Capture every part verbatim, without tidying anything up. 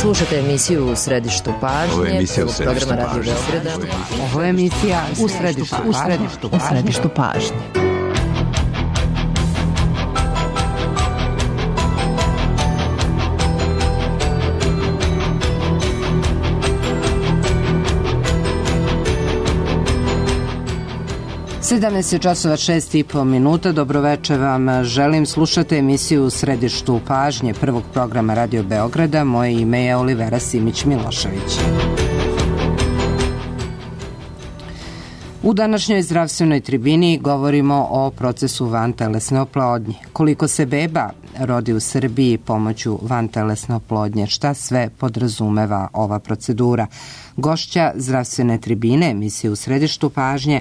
Slušajte emisiju U središtu pažnje. Ovo je emisija U središtu programa Radio pažnje. Beograda. Ovo je emisija U središtu, u središtu, u središtu pažnje. sedamnaest časova šest i po minuta. Dobroveče vam želim. Slušate emisiju U središtu pažnje prvog programa Radio Beograda. Moje ime je Olivera Simić-Milošević. U današnjoj zdravstvenoj tribini govorimo o procesu vantelesne oplodnje. Koliko se beba rodi u Srbiji pomoću vantelesne oplodnje, šta sve podrazumeva ova procedura. Gošća zdravstvene tribine emisije U središtu pažnje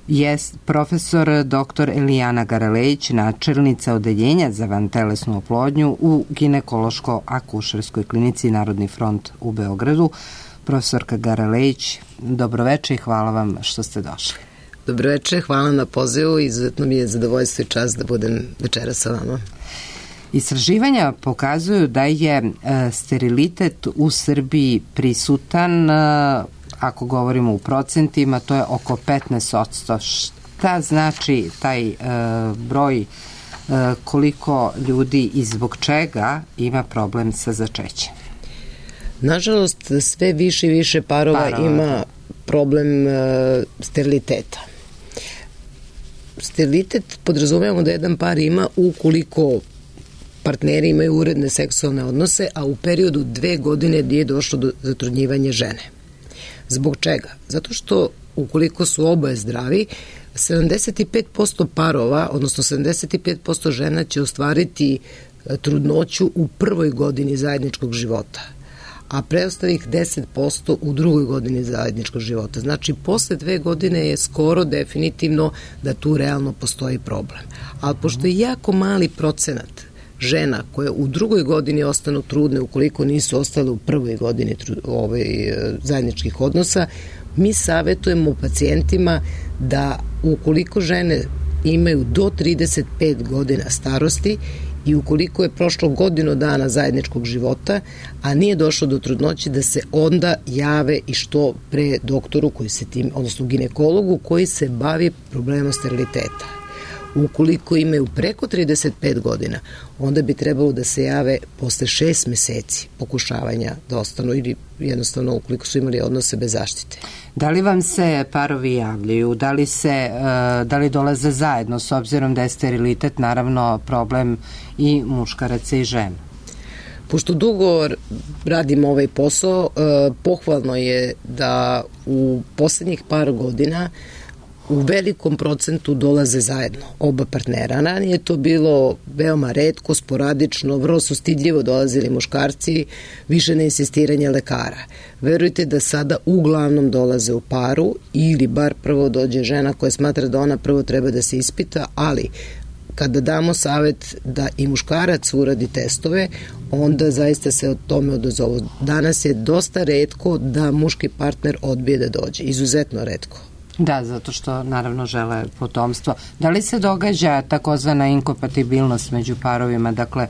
je profesor doktor Elijana Garalejić, načelnica odeljenja za vantelesnu oplodnju u ginekološko-akušerskoj klinici Narodni front u Beogradu. Profesorka Garalejić, dobroveče i hvala vam što ste došli. Dobroveče, hvala na pozivu i izuzetno mi je zadovoljstvo i čast da budem večera sa vama. Istraživanja pokazuju da je e, sterilitet u Srbiji prisutan, e, ako govorimo u procentima, to je oko petnaest posto. Šta znači taj e, broj, e, koliko ljudi i zbog čega ima problem sa začećem? Nažalost, sve više i više parova, parova. ima problem e, steriliteta. Sterilitet podrazumevamo da jedan par ima ukoliko partneri imaju uredne seksualne odnose, a u periodu dve godine nije došlo do zatrudnjivanja žene. Zbog čega? Zato što ukoliko su oboje zdravi, sedamdeset pet posto parova, odnosno sedamdeset pet posto žena će ostvariti trudnoću u prvoj godini zajedničkog života, a preostalih deset posto u drugoj godini zajedničkog života. Znači, posle dve godine je skoro definitivno da tu realno postoji problem. Ali pošto je jako mali procenat žena koje u drugoj godini ostanu trudne ukoliko nisu ostale u prvoj godini ovaj, zajedničkih odnosa, mi savjetujemo pacijentima da ukoliko žene imaju do trideset pet godina starosti i ukoliko je prošlo godinu dana zajedničkog života, a nije došlo do trudnoće, da se onda jave i što pre doktoru koji se tim, odnosno ginekologu koji se bavi problemom steriliteta. Ukoliko imaju preko trideset pet godina, onda bi trebalo da se jave posle šest meseci pokušavanja da ostanu ili jednostavno ukoliko su imali odnose bez zaštite. Da li vam se parovi javljaju? Da li, se, da li dolaze zajedno s obzirom da je sterilitet naravno problem i muškaraca i žena? Pošto dugo radim ovaj posao, pohvalno je da u poslednjih par godina u velikom procentu dolaze zajedno oba partnera. Ranije je to bilo veoma retko, sporadično, vrlo su stidljivo dolazili muškarci, više na insistiranje lekara. Verujte da sada uglavnom dolaze u paru ili bar prvo dođe žena koja smatra da ona prvo treba da se ispita, ali kada damo savjet da i muškarac uradi testove, onda zaista se o tome odazovu. Danas je dosta retko da muški partner odbije da dođe, izuzetno retko. Da, zato što naravno žele potomstvo. Da li se događa takozvana inkompatibilnost među parovima, dakle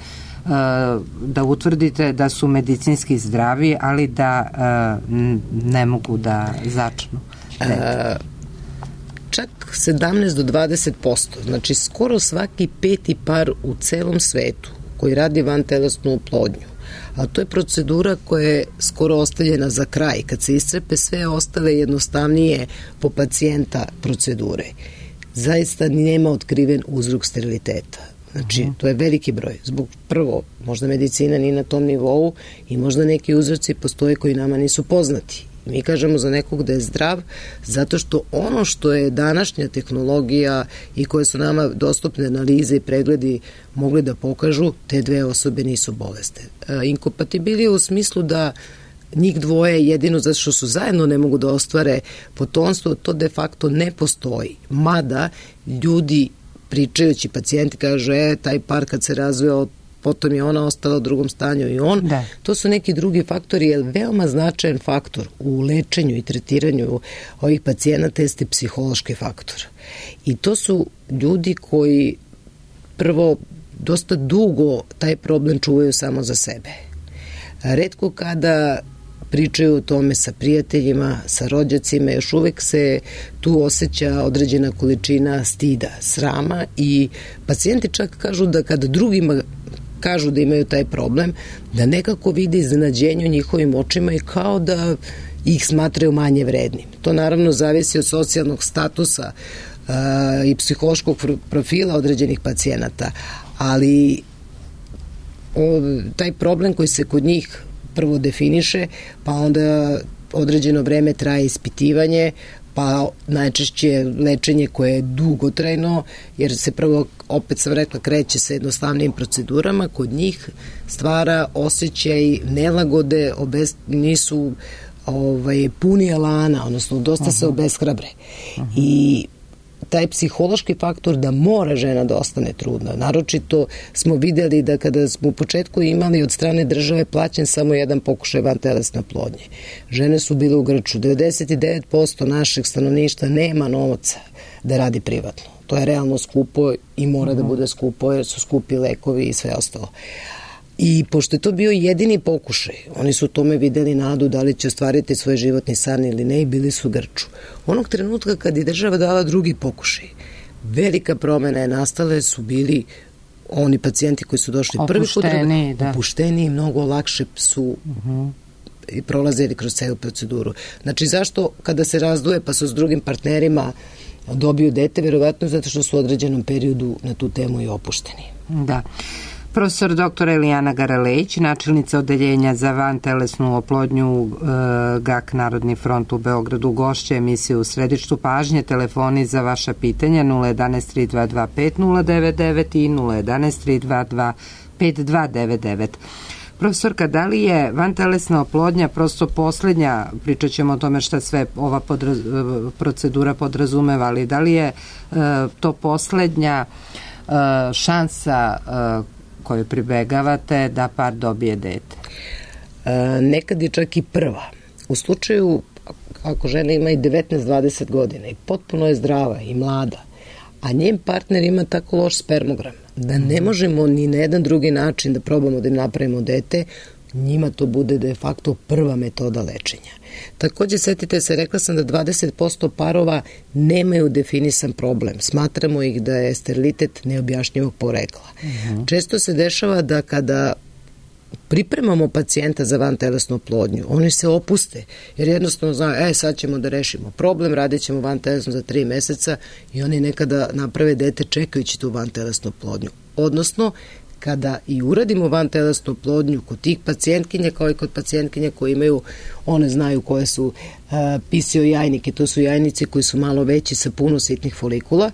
da utvrdite da su medicinski zdravi, ali da ne mogu da začnu? A, čak sedamnaest do dvadeset posto, znači skoro svaki peti par u celom svetu koji radi vantelesnu oplodnju, a to je procedura koja je skoro ostavljena za kraj, kad se iscrpe sve ostale jednostavnije po pacijenta procedure. Zaista nema otkriven uzrok steriliteta. Znači, to je veliki broj. Zbog prvo, možda medicina nije na tom nivou i možda neki uzroci postoje koji nama nisu poznati. Mi kažemo za nekog da je zdrav zato što ono što je današnja tehnologija i koje su nama dostupne analize i pregledi mogli da pokažu, te dve osobe nisu bolesne. Inkompatibilije u smislu da njih dvoje jedino zato što su zajedno ne mogu da ostvare potomstvo, to de facto ne postoji. Mada ljudi pričajući, pacijenti kažu, e, taj par kad se razveo, potom je ona ostala u drugom stanju i on. Da. To su neki drugi faktori, jer veoma značajan faktor u lečenju i tretiranju ovih pacijenata jeste psihološki faktor. I to su ljudi koji prvo dosta dugo taj problem čuvaju samo za sebe. Retko kada pričaju o tome sa prijateljima, sa rođacima, još uvek se tu osjeća određena količina stida, srama i pacijenti čak kažu da kada drugima kažu da imaju taj problem, da nekako vide iznenađenje u njihovim očima i kao da ih smatraju manje vrednim. To naravno zavisi od socijalnog statusa uh, i psihološkog profila određenih pacijenata, ali o, taj problem koji se kod njih prvo definiše, pa onda određeno vreme traje ispitivanje, pa najčešće lečenje koje je dugotrajno, jer se prvo, opet sam rekla, kreće sa jednostavnim procedurama, kod njih stvara osjećaj nelagode, obez, nisu ovaj, puni elana, odnosno dosta uh-huh. se obeshrabre. Uh-huh. I taj psihološki faktor da mora žena da ostane trudna. Naročito smo videli da kada smo u početku imali od strane države plaćen samo jedan pokušaj vantelesne oplodnje. Žene su bile u grču. devedeset devet posto našeg stanovništva nema novaca da radi privatno. To je realno skupo i mora uh-huh. da bude skupo jer su skupi lekovi i sve ostalo. I pošto je to bio jedini pokušaj, oni su u tome videli nadu da li će ostvariti svoj životni san ili ne i bili su u grču. Onog trenutka kad je država dala drugi pokušaj, velika promena je nastala, su bili oni pacijenti koji su došli prvi put, da. opušteni i mnogo lakše su uh-huh. i prolazili kroz celu proceduru. Znači zašto kada se razduje pa su s drugim partnerima dobiju dete, verovatno zato što su u određenom periodu na tu temu i opušteni. Da. Profesor doktor Elijana Garalejić, načelnica odeljenja za vantelesnu oplodnju e, G A K Narodni front u Beogradu, gošća emisije U središtu pažnje. Telefoni za vaša pitanja nula jedan tri dva dva pet nula devet devet i nula jedan tri dva dva pet dva devet devet. Profesorka, da li je vantelesna oplodnja prosto poslednja, pričat ćemo o tome šta sve ova podraz, procedura podrazumeva, ali da li je e, to poslednja e, šansa e, koju pribegavate da par dobije dete? E, nekad je čak i prva. U slučaju ako žena ima i devetnaest dvadeset godina i potpuno je zdrava i mlada, a njen partner ima tako loš spermogram da ne možemo ni na jedan drugi način da probamo da im napravimo dete, njima to bude de facto prva metoda lečenja. Takođe, setite se, rekla sam da dvadeset posto parova nemaju definisan problem. Smatramo ih da je sterilitet neobjašnjivog porekla. Uh-huh. Često se dešava da kada pripremamo pacijenta za vantelesnu oplodnju, oni se opuste, jer jednostavno znaju, e, sad ćemo da rešimo problem, radit ćemo vantelesnu za tri meseca i oni nekada naprave dete čekajući tu vantelesnu oplodnju. Odnosno, kada i uradimo vantelesnu oplodnju kod tih pacijentkinja kao i kod pacijentkinja koji imaju, one znaju koje su uh, P C O jajnike, to su jajnici koji su malo veći sa puno sitnih folikula,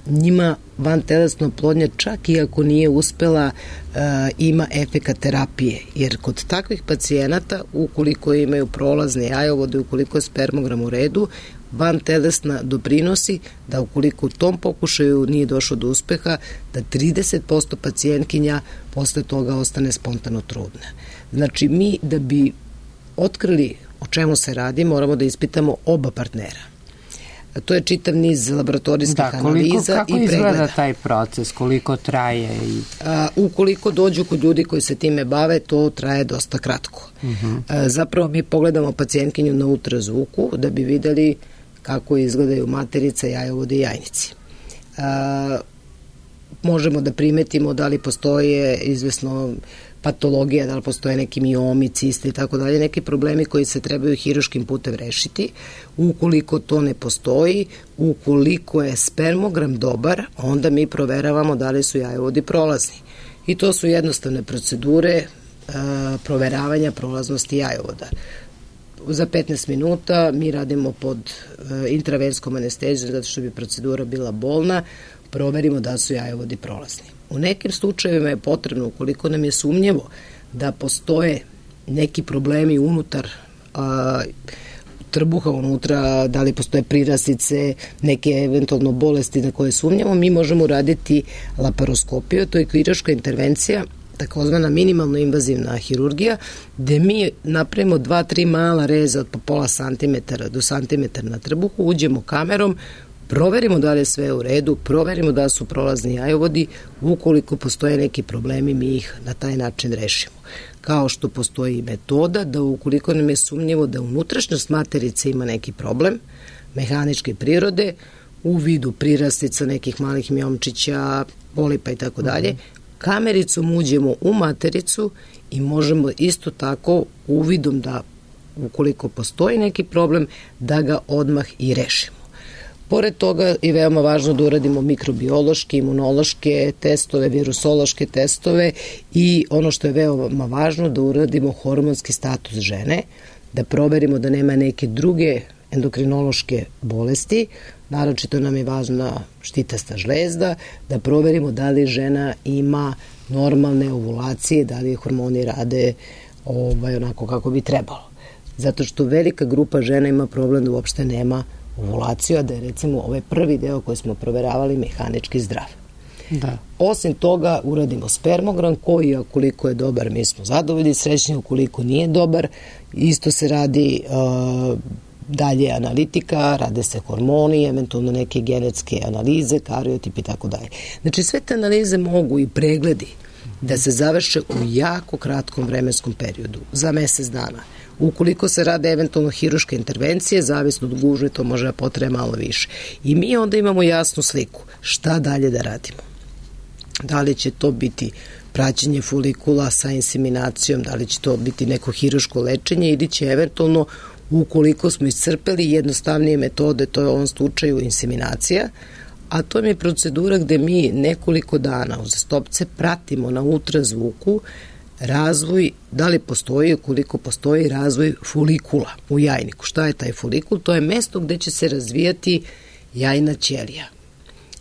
njima vantelesna oplodnja čak i ako nije uspela uh, ima efekat terapije, jer kod takvih pacijenata ukoliko imaju prolazne jajovode, ukoliko je spermogram u redu, vantelesna doprinosi da ukoliko u tom pokušaju nije došlo do uspeha, da trideset posto pacijentkinja posle toga ostane spontano trudna. Znači mi da bi otkrili o čemu se radi, moramo da ispitamo oba partnera. To je čitav niz laboratorijskih da, koliko, analiza i pregleda. Kako izgleda taj proces, koliko traje? I... A, ukoliko dođu kod ljudi koji se time bave, to traje dosta kratko. Uh-huh. A, zapravo mi pogledamo pacijentkinju na ultrazvuku da bi videli kako izgledaju materica, jajovode i jajnici. A, možemo da primetimo da li postoje izvesno patologija, da li postoje neki miomi, cisti i tako dalje, neki problemi koji se trebaju hiruškim putem rešiti. Ukoliko to ne postoji, ukoliko je spermogram dobar, onda mi proveravamo da li su jajovodi prolazni. I to su jednostavne procedure a, proveravanja prolaznosti jajovoda. Za petnaest minuta mi radimo pod a, intravenskom anestezijom zato što bi procedura bila bolna, proverimo da su jajovodi prolazni. U nekim slučajevima je potrebno, ukoliko nam je sumnjevo da postoje neki problemi unutar a, trbuha, unutra, da li postoje prirasice, neke eventualno bolesti na koje sumnjamo, mi možemo raditi laparoskopiju, to je kirurška intervencija, takozvana minimalno invazivna hirurgija, gde mi napravimo dva, tri mala reza od po pola santimetara do santimetara na trbuhu, uđemo kamerom, proverimo da li je sve u redu, proverimo da su prolazni jajovodi, ukoliko postoje neki problemi, mi ih na taj način rešimo. Kao što postoji metoda da ukoliko nam je sumnjivo da unutrašnjost materice ima neki problem, mehaničke prirode, u vidu prirastica nekih malih mjomčića, polipa i tako dalje, kamericom uđemo u matericu i možemo isto tako uvidom da ukoliko postoji neki problem, da ga odmah i rešimo. Pored toga je veoma važno da uradimo mikrobiološke, imunološke testove, virusološke testove i ono što je veoma važno da uradimo hormonski status žene, da proverimo da nema neke druge endokrinološke bolesti, naročito nam je važna štitasta žlezda, da proverimo da li žena ima normalne ovulacije, da li hormoni rade ovaj, onako kako bi trebalo. Zato što velika grupa žena ima problem da uopšte nema ovulaciju, a da je recimo ovaj prvi deo koji smo proveravali mehanički zdrav. Da. Osim toga uradimo spermogram koji, ukoliko je dobar, mi smo zadovoljni, srećni, ukoliko nije dobar, isto se radi uh, dalje analitika, rade se hormoni, eventualno neke genetske analize, kariotip i tako dalje. Znači sve te analize mogu i pregledi da se završe u jako kratkom vremenskom periodu, za mesec dana. Ukoliko se rade eventualno hiruške intervencije, zavisno od gužve, to može da potrebe malo više. I mi onda imamo jasnu sliku šta dalje da radimo. Da li će to biti praćenje folikula sa inseminacijom, da li će to biti neko hiruško lečenje ili će eventualno, ukoliko smo iscrpeli jednostavnije metode, to je u ovom slučaju inseminacija, a to je procedura gde mi nekoliko dana uzastopce pratimo na ultrazvuku razvoj, da li postoji, ukoliko postoji razvoj folikula u jajniku. Šta je taj folikul? To je mesto gde će se razvijati jajna ćelija.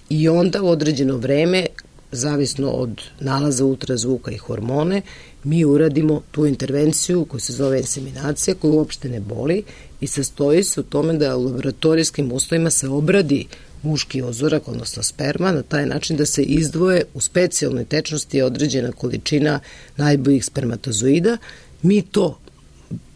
I onda u određeno vreme, zavisno od nalaza ultrazvuka i hormone, mi uradimo tu intervenciju koja se zove inseminacija, koja uopšte ne boli i sastoji se u tome da u laboratorijskim uslovima se obradi muški ozorak, odnosno sperma, na taj način da se izdvoje u specijalnoj tečnosti određena količina najboljih spermatozoida. Mi to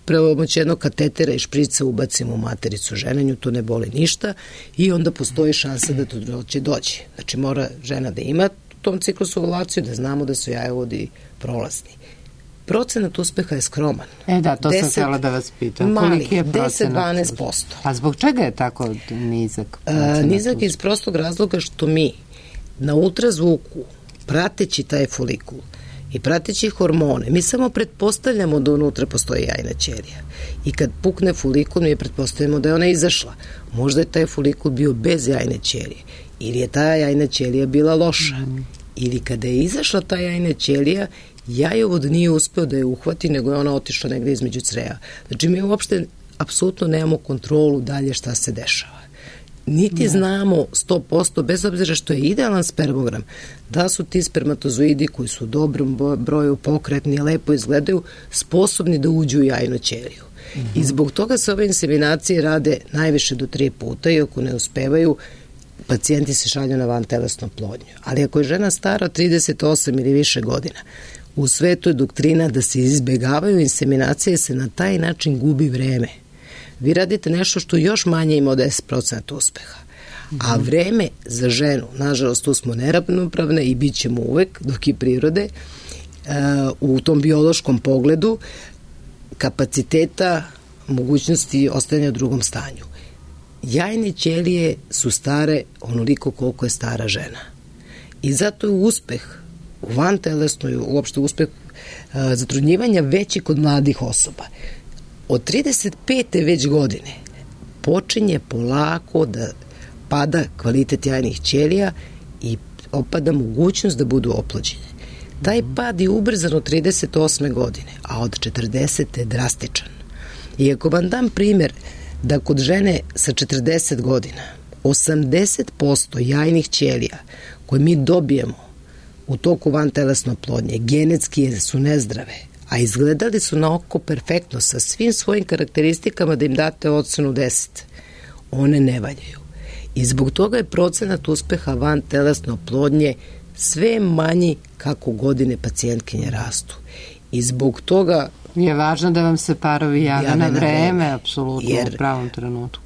pomoću jednog katetera i šprica ubacimo u matericu žene, nju to ne boli ništa i onda postoji šansa da to doće doći. Znači mora žena da ima u tom ciklusu ovulaciju, da znamo da su jajovodi prolazni. Procenat uspeha je skroman. E da, to deset, sam htjela da vas pitam. Mali, koliki je procenat? deset do dvanaest posto. A zbog čega je tako nizak? A, nizak iz prostog razloga što mi na ultrazvuku, prateći taj folikul i prateći hormone, mi samo pretpostavljamo da unutra postoji jajna ćelija. I kad pukne folikul, mi pretpostavljamo da je ona izašla. Možda je taj folikul bio bez jajne ćelije. Ili je ta jajna ćelija bila loša. Mm. Ili kada je izašla ta jajna ćelija, jajovod nije uspeo da je uhvati, nego je ona otišla negde između creja. Znači, mi uopšte apsolutno nemamo kontrolu dalje šta se dešava. Niti ne. znamo sto posto, bez obzira što je idealan spermogram, da su ti spermatozoidi koji su u dobrom broju pokretni, lepo izgledaju, sposobni da uđu u jajnu ćeliju. Mm-hmm. I zbog toga se ove inseminacije rade najviše do tri puta i ako ne uspevaju, pacijenti se šalju na vantelesnu oplodnju. Ali ako je žena stara trideset osam ili više godina, u svetu je doktrina da se izbegavaju inseminacije, se na taj način gubi vreme. Vi radite nešto što još manje ima od deset posto uspeha. A vreme za ženu, nažalost, tu smo neravnopravne i bit ćemo uvek, dok i prirode, u tom biološkom pogledu kapaciteta, mogućnosti ostajanja u drugom stanju. Jajne ćelije su stare onoliko koliko je stara žena. I zato je uspeh u vantelesnoj, uopšte uspeh a, zatrudnjivanja veći kod mladih osoba. Od trideset pete već godine počinje polako da pada kvalitet jajnih ćelija i opada mogućnost da budu oplođene. Taj pad je ubrzan od trideset osme godine, a od četrdesete je drastičan. I ako vam dam primjer da kod žene sa četrdeset godina osamdeset posto jajnih ćelija koje mi dobijemo u toku vantelesne oplodnje genetski su nezdrave, a izgledali su na oko perfektno sa svim svojim karakteristikama da im date ocenu deset, one ne valjaju. I zbog toga je procenat uspeha vantelesne oplodnje sve manji kako godine pacijentkinje rastu. I zbog toga je važno da vam se parovi jave na vreme, apsolutno, jer u pravom trenutku.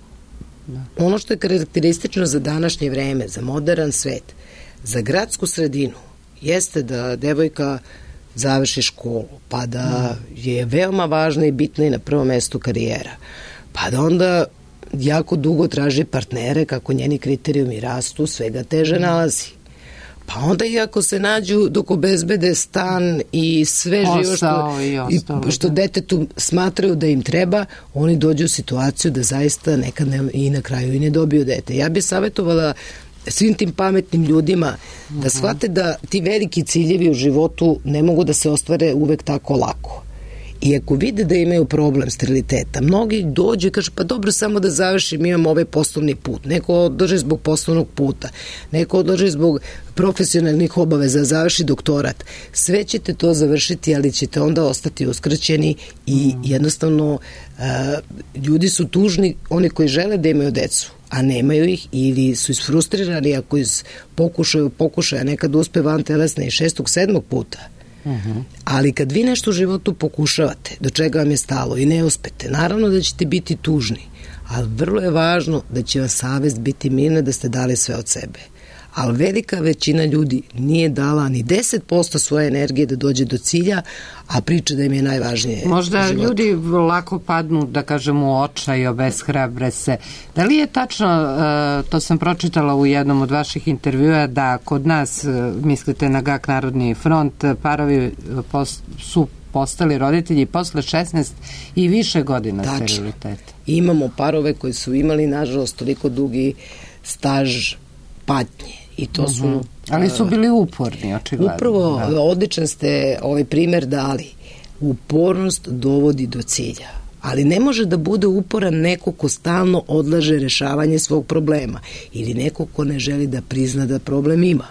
Da. Ono što je karakteristično za današnje vreme, za modern svet, za gradsku sredinu, jeste da devojka završi školu, pa da je veoma važna i bitna i na prvom mestu karijera, pa da onda jako dugo traži partnere, kako njeni kriterijumi rastu, svega teže nalazi. Pa onda i ako se nađu dok obezbede stan i sve živo što, i ostalo, što detetu smatraju da im treba, oni dođu u situaciju da zaista nekad ne, i na kraju i ne dobiju dete. Ja bih savjetovala svim tim pametnim ljudima da shvate da ti veliki ciljevi u životu ne mogu da se ostvare uvek tako lako. I ako vide da imaju problem steriliteta, mnogi dođu i kažu pa dobro, samo da završim, imam ovaj poslovni put. Neko odlaže zbog poslovnog puta, neko odlaže zbog profesionalnih obaveza, završi doktorat. Sve ćete to završiti, ali ćete onda ostati uskraćeni i jednostavno uh, ljudi su tužni, oni koji žele da imaju decu, a nemaju ih, ili su isfrustrirani ako iz pokušaju, pokušaja nekad uspe vantelesne i šestog, sedmog puta. Uh-huh. Ali kad vi nešto u životu pokušavate, do čega vam je stalo i ne uspete, naravno da ćete biti tužni, ali vrlo je važno da će vam savest biti mirna da ste dali sve od sebe. Ali velika većina ljudi nije dala ni deset posto svoje energije da dođe do cilja, a priča da im je najvažnije. Možda ljudi lako padnu, da kažem, u očaj i obeshrabre se. Da li je tačno, to sam pročitala u jednom od vaših intervjua, da kod nas, mislite na G A K Narodni front, parovi su postali roditelji posle šesnaest i više godina steriliteta? Imamo parove koji su imali, nažalost, toliko dugi staž patnje. I to uh-huh. su... Ali su bili uporni, očigledno. Upravo, da. Odličan ste ovaj primer dali. Upornost dovodi do cilja. Ali ne može da bude uporan neko ko stalno odlaže rešavanje svog problema ili neko ko ne želi da prizna da problem ima.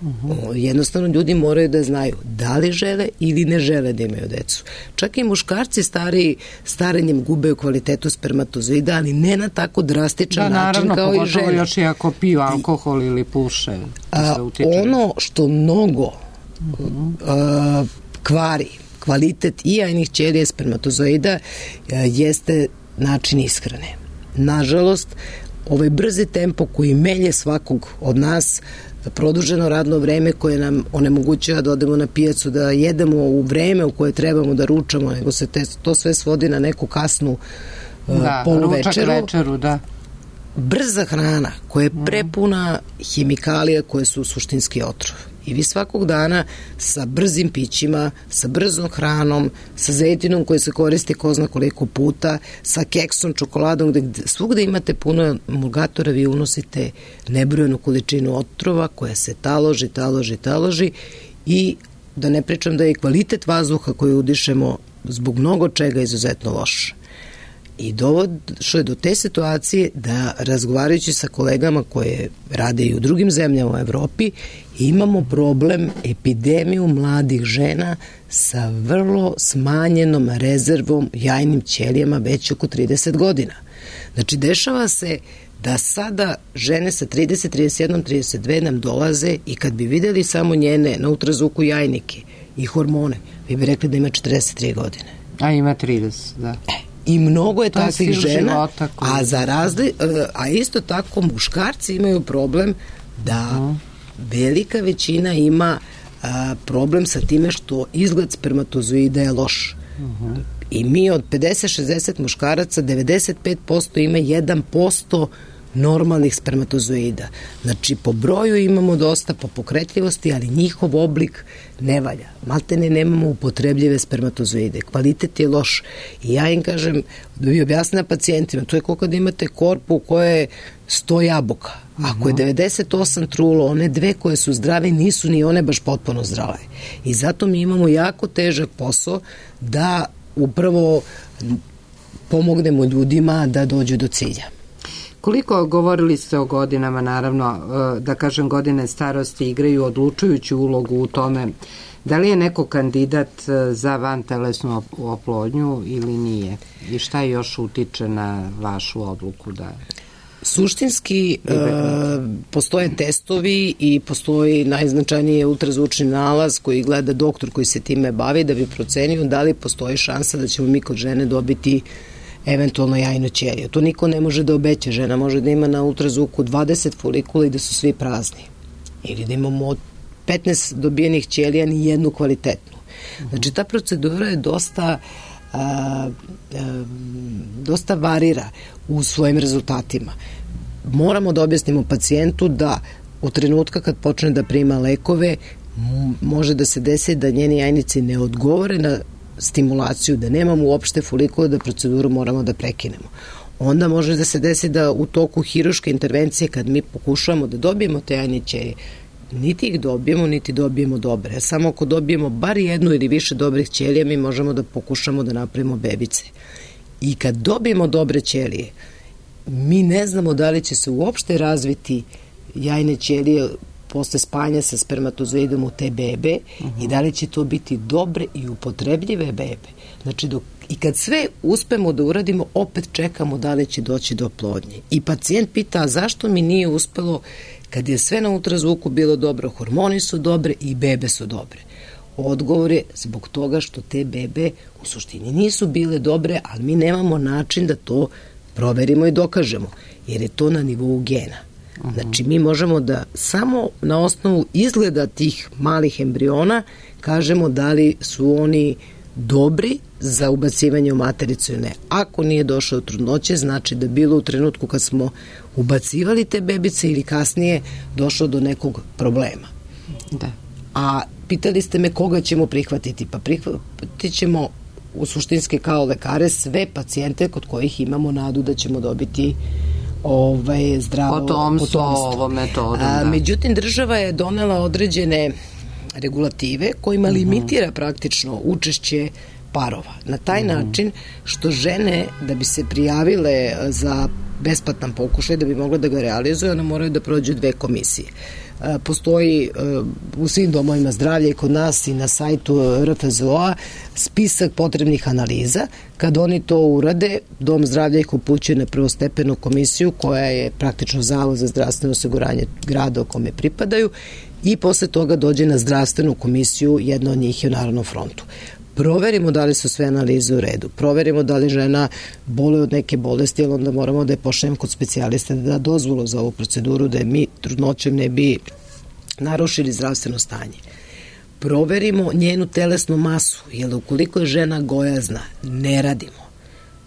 Uh-huh. Jednostavno ljudi moraju da znaju da li žele ili ne žele da imaju decu. Čak i muškarci stari, starenjem gube u kvalitetu spermatozoida, ali ne na tako drastičan da, način naravno, kao i žene. Pogotovo još i ako piju alkohol ili puše. A, ono što mnogo uh-huh. a, kvari kvalitet i jajnih ćelija spermatozoida a, jeste način ishrane. Nažalost, ovaj brzi tempo koji melje svakog od nas, produženo radno vreme koje nam onemogućava da odemo na pijacu, da jedemo u vreme u koje trebamo da ručamo, nego se te, to sve svodi na neku kasnu da, uh, poluvečeru. Ručak večeru, da. Brza hrana koja je prepuna hemikalija koje su suštinski otrov. I vi svakog dana sa brzim pićima, sa brzom hranom, sa zejtinom koji se koristi ko zna koliko puta, sa keksom, čokoladom, gde svugde imate puno emulgatora, vi unosite nebrojenu količinu otrova koja se taloži, taloži, taloži i da ne pričam da je kvalitet vazduha koji udišemo zbog mnogo čega izuzetno loš. I došlo je do te situacije da, razgovarajući sa kolegama koje rade i u drugim zemljama u Evropi, imamo problem, epidemiju mladih žena sa vrlo smanjenom rezervom jajnim ćelijama već oko trideset godina. Znači, dešava se da sada žene sa trideset, trideset jedan, trideset dve nam dolaze i kad bi videli samo njene na ultrazvuku jajnike i hormone, vi bi rekli da ima četrdeset tri godine. A ima trideset, da. E. I mnogo je to takvih je žena, koji... a za razli, a isto tako muškarci imaju problem da uh-huh. velika većina ima a, problem sa time što izgled spermatozoida je loš. Uh-huh. I mi od pedeset šezdeset muškaraca, devedeset pet posto ima jedan posto normalnih spermatozoida. Znači, po broju imamo dosta, po pokretljivosti, ali njihov oblik ne valja. Maltene nemamo upotrebljive spermatozoide. Kvalitet je loš. I ja im kažem, da bi objasnila pacijentima, to je kao kada imate korpu u kojoj je sto jabuka. Ako je devedeset osam trulo, one dve koje su zdrave nisu ni one baš potpuno zdrave. I zato mi imamo jako težak posao da upravo pomognemo ljudima da dođu do cilja. Koliko govorili ste o godinama, naravno, da kažem, godine starosti igraju odlučujuću ulogu u tome, da li je neko kandidat za vantelesnu oplodnju ili nije? I šta još utiče na vašu odluku da... Suštinski e, postoje testovi i postoji najznačajniji ultrazvučni nalaz koji gleda doktor koji se time bavi da bi procenio da li postoji šansa da ćemo mi kod žene dobiti eventualno jajnu ćeliju. To niko ne može da obeća. Žena može da ima na ultrazvuku dvadeset folikula i da su svi prazni. Ili da imamo od petnaest dobijenih ćelija ni jednu kvalitetnu. Znači, ta procedura je dosta a, a, dosta varira u svojim rezultatima. Moramo da objasnimo pacijentu da u trenutka kad počne da prima lekove može da se desi da njeni jajnici ne odgovore na stimulaciju, da nemamo uopšte folikula, da proceduru moramo da prekinemo. Onda može da se desi da u toku hiruške intervencije kad mi pokušavamo da dobijemo te jajne ćelije, niti ih dobijemo, niti dobijemo dobre. Samo ako dobijemo bar jednu ili više dobrih ćelija, mi možemo da pokušamo da napravimo bebice. I kad dobijemo dobre ćelije, mi ne znamo da li će se uopšte razviti jajne ćelije posle spajanja sa spermatozoidom u te bebe uh-huh. i da li će to biti dobre i upotrebljive bebe. Znači, dok, i kad sve uspemo da uradimo, opet čekamo da li će doći do oplodnje. I pacijent pita, a zašto mi nije uspelo kad je sve na ultrazvuku bilo dobro, hormoni su dobre i bebe su dobre? Odgovor je zbog toga što te bebe u suštini nisu bile dobre, ali mi nemamo način da to proverimo i dokažemo, jer je to na nivou gena. Znači, mi možemo da samo na osnovu izgleda tih malih embriona kažemo da li su oni dobri za ubacivanje u matericu ili ne. Ako nije došao do trudnoće, znači da bilo u trenutku kad smo ubacivali te bebice ili kasnije došlo do nekog problema. Da. A pitali ste me koga ćemo prihvatiti? Pa prihvatit ćemo u suštinske kao lekare sve pacijente kod kojih imamo nadu da ćemo dobiti ovaj, zdravo potomstvo, potomstvo. Ovo metodom, A, da. međutim, država je donela određene regulative kojima uh-huh. limitira praktično učešće parova. Na taj uh-huh. način što žene, da bi se prijavile za besplatan pokušaj, da bi mogle da ga realizuju, one moraju da prođu dve komisije. Postoji u svim domovima zdravlja i kod nas i na sajtu R F Z O-a spisak potrebnih analiza. Kad oni to urade, Dom zdravlja ih upućuje na prvostepenu komisiju koja je praktično Zavod za zdravstveno osiguranje grada o kome pripadaju i posle toga dođe na zdravstvenu komisiju, jedna od njih je u Narodnom frontu. Proverimo da li su sve analize u redu, proverimo da li žena boluje od neke bolesti, ali onda moramo da je pošaljemo kod specijalista da da dozvolu za ovu proceduru, da je mi trudnoćem ne bi narušili zdravstveno stanje. Proverimo njenu telesnu masu, jer ukoliko je žena gojazna, ne radimo.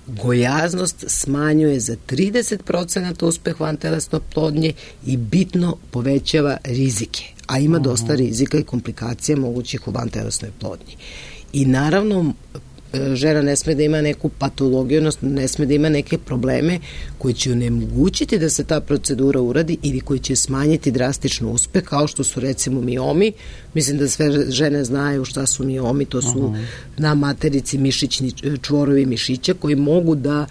Gojaznost smanjuje za trideset procenata uspeh vantelesne oplodnje i bitno povećava rizike, a ima dosta rizika i komplikacija mogućih u vantelesnoj oplodnji. I naravno, žena ne sme da ima neku patologiju, odnosno ne sme da ima neke probleme koji će onemogućiti da se ta procedura uradi ili koji će smanjiti drastično uspeh, kao što su recimo miomi. Mislim da sve žene znaju šta su miomi, to su uh-huh. na materici mišićni čvorovi mišića koji mogu da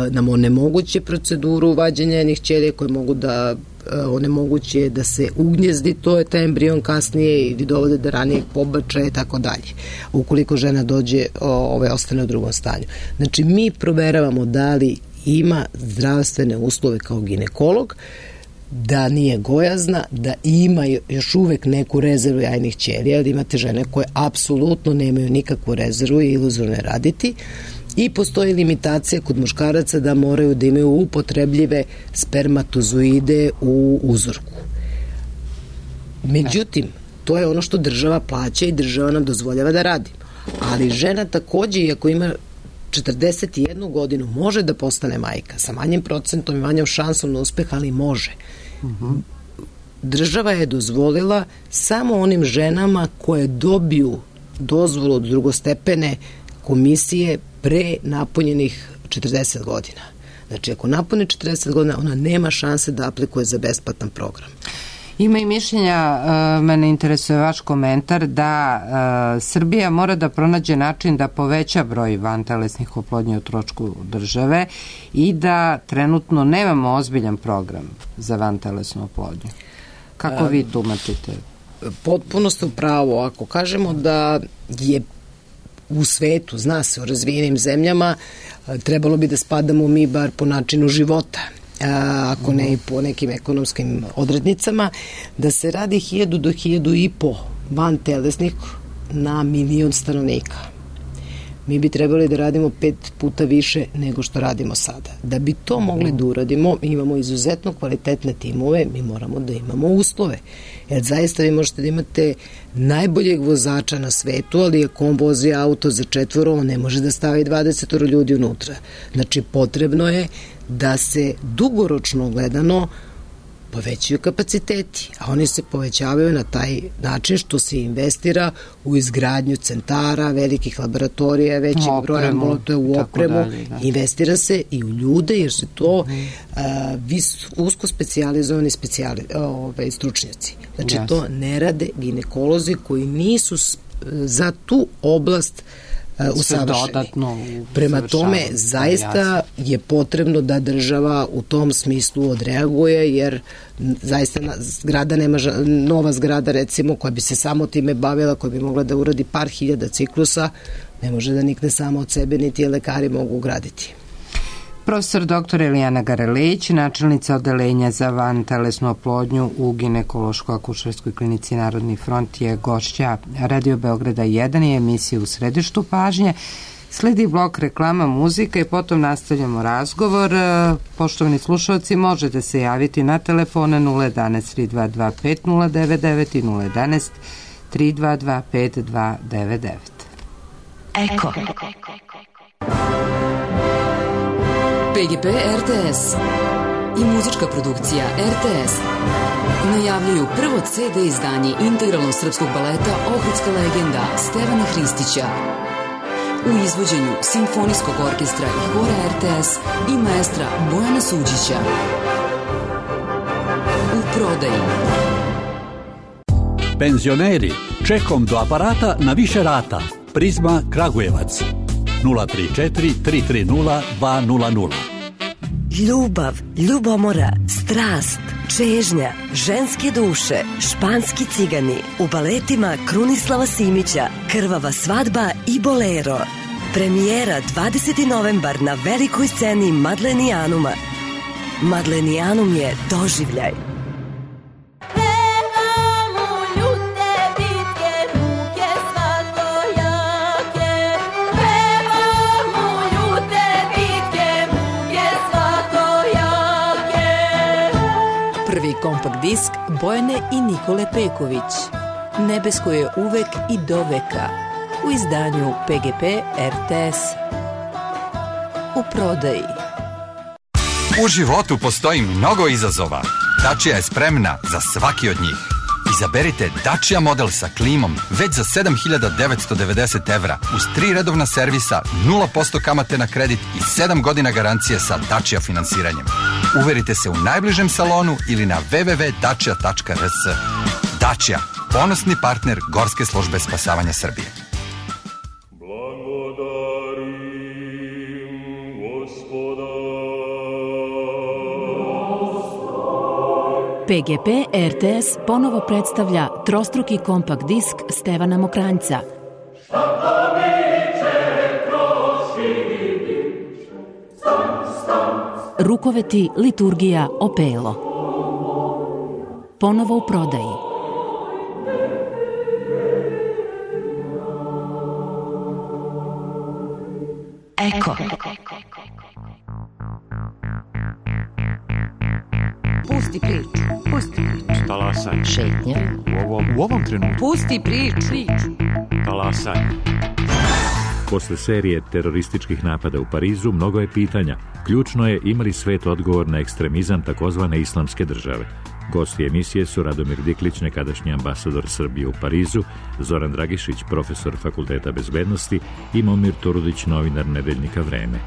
nam onemoguće proceduru vađenja jednih ćelija, koje mogu da onemoguće da se ugnjezdi, to je taj embrion kasnije ili dovode do ranijeg pobačaja i tako dalje. Ukoliko žena dođe, ove, ostane u drugom stanju. Znači, mi proveravamo da li ima zdravstvene uslove kao ginekolog, da nije gojazna, da ima još uvek neku rezervu jajnih ćelija, da imate žene koje apsolutno nemaju nikakvu rezervu i iluzorno raditi. I postoji limitacija kod muškaraca da moraju da imaju upotrebljive spermatozoide u uzorku. Međutim, to je ono što država plaća i država nam dozvoljava da radimo. Ali žena takođe, iako ima četrdeset jednu godinu, može da postane majka sa manjim procentom i manjom šansom na uspeh, ali može. Uh-huh. Država je dozvolila samo onim ženama koje dobiju dozvolu od drugostepene komisije pre napunjenih četrdeset godina. Znači, ako napune četrdeset godina, ona nema šanse da aplikuje za besplatan program. Ima i mišljenja, uh, mene interesuje vaš komentar, da uh, Srbija mora da pronađe način da poveća broj vantelesnih oplodnji u trošku države i da trenutno nemamo ozbiljan program za vantelesnu oplodnju. Kako um, vi tumačite? Potpuno ste u pravu. Ako kažemo da je u svetu, zna se, u razvijenim zemljama, trebalo bi da spadamo mi bar po načinu života, ako ne i po nekim ekonomskim odrednicama, da se radi hiljadu do hiljadu i po van telesnih na milion stanovnika. mi bi trebali da radimo pet puta više nego što radimo sada. Da bi to mogli da uradimo, mi imamo izuzetno kvalitetne timove, mi moramo da imamo uslove. Jer zaista vi možete da imate najboljeg vozača na svetu, ali ako on vozi auto za četvoro, on ne može da stavi dvadeset ljudi unutra. Znači, potrebno je da se dugoročno gledano povećaju kapaciteti, a oni se povećavaju na taj način što se investira u izgradnju centara, velikih laboratorija, većeg broja ambulatorija, u opremu, dalje, da. Investira se i u ljude, jer su to mm. a, vis, usko specijalizovani specijali, ove, stručnjaci. Znači, yes. to ne rade ginekolozi koji nisu za tu oblast usavršeni. Prema tome, zaista je potrebno da država u tom smislu odreaguje, jer zaista zgrada nema, nova zgrada recimo koja bi se samo time bavila, koja bi mogla da uradi par hiljada ciklusa, ne može da nikne samo od sebe, niti je lekari mogu ugraditi. Profesor doktor Elijana Garelić, načelnica odeljenja za vantelesnu oplodnju u ginekološko-akušerskoj klinici Narodni front, je gošća Radio Beograda jedan i emisije U središtu pažnje. Sledi blok reklama, muzika i potom nastavljamo razgovor. Poštovani slušalci, možete se javiti na telefone nula jedan tri dva dva pet nula devet devet i nula jedan tri dva dva pet dva devet devet. Eko. P G P R T S i muzička produkcija R T S najavljuju prvo C D izdanje integralnog srpskog baleta Ohridska legenda Stevana Hristića u izvođenju Simfonijskog orkestra i hora R T S i maestra Bojana Suđića. U prodaji. Penzioneri, čekom do aparata na više rata. Prizma Kragujevac. nula tri četiri tri tri nula dva nula nula. Ljubav, ljubomora, strast, čežnja, ženske duše, španski cigani u baletima Krunislava Simića, Krvava svadba i Bolero. Premijera dvadesetog novembar na velikoj sceni Madlenijanuma. Madlenijanum je doživljaj. Prvi kompakt disk Bojane i Nikole Peković. Nebesko je uvek i do veka. U izdanju P G P R T S. U prodaji. U životu postoji mnogo izazova. Dacia je spremna za svaki od njih. Izaberite Dacia model sa klimom već za sedam hiljada devetsto devedeset evra uz tri redovna servisa, nula posto kamate na kredit i sedam godina garancije sa Dacia finansiranjem. Uverite se u najbližem salonu ili na w w w tačka dacia tačka r s. Dacia, ponosni partner Gorske službe spasavanja Srbije. P G P R T S ponovo predstavlja trostruki kompakt disk Stevana Mokranjca. Rukoveti, liturgija, opelo. Ponovo u prodaji. Eko. Pusti priču, pusti priču. Talasaj. Šetnja. U ovom, u ovom trenutku. Pusti priču. Talasaj. Posle serije terorističkih napada u Parizu mnogo je pitanja. Ključno je imali svet odgovor na ekstremizam takozvane islamske države. Gosti emisije su Radomir Diklić, nekadašnji ambasador Srbije u Parizu, Zoran Dragišić, profesor Fakulteta bezbednosti i Momir Turudić, novinar nedeljnika Vreme.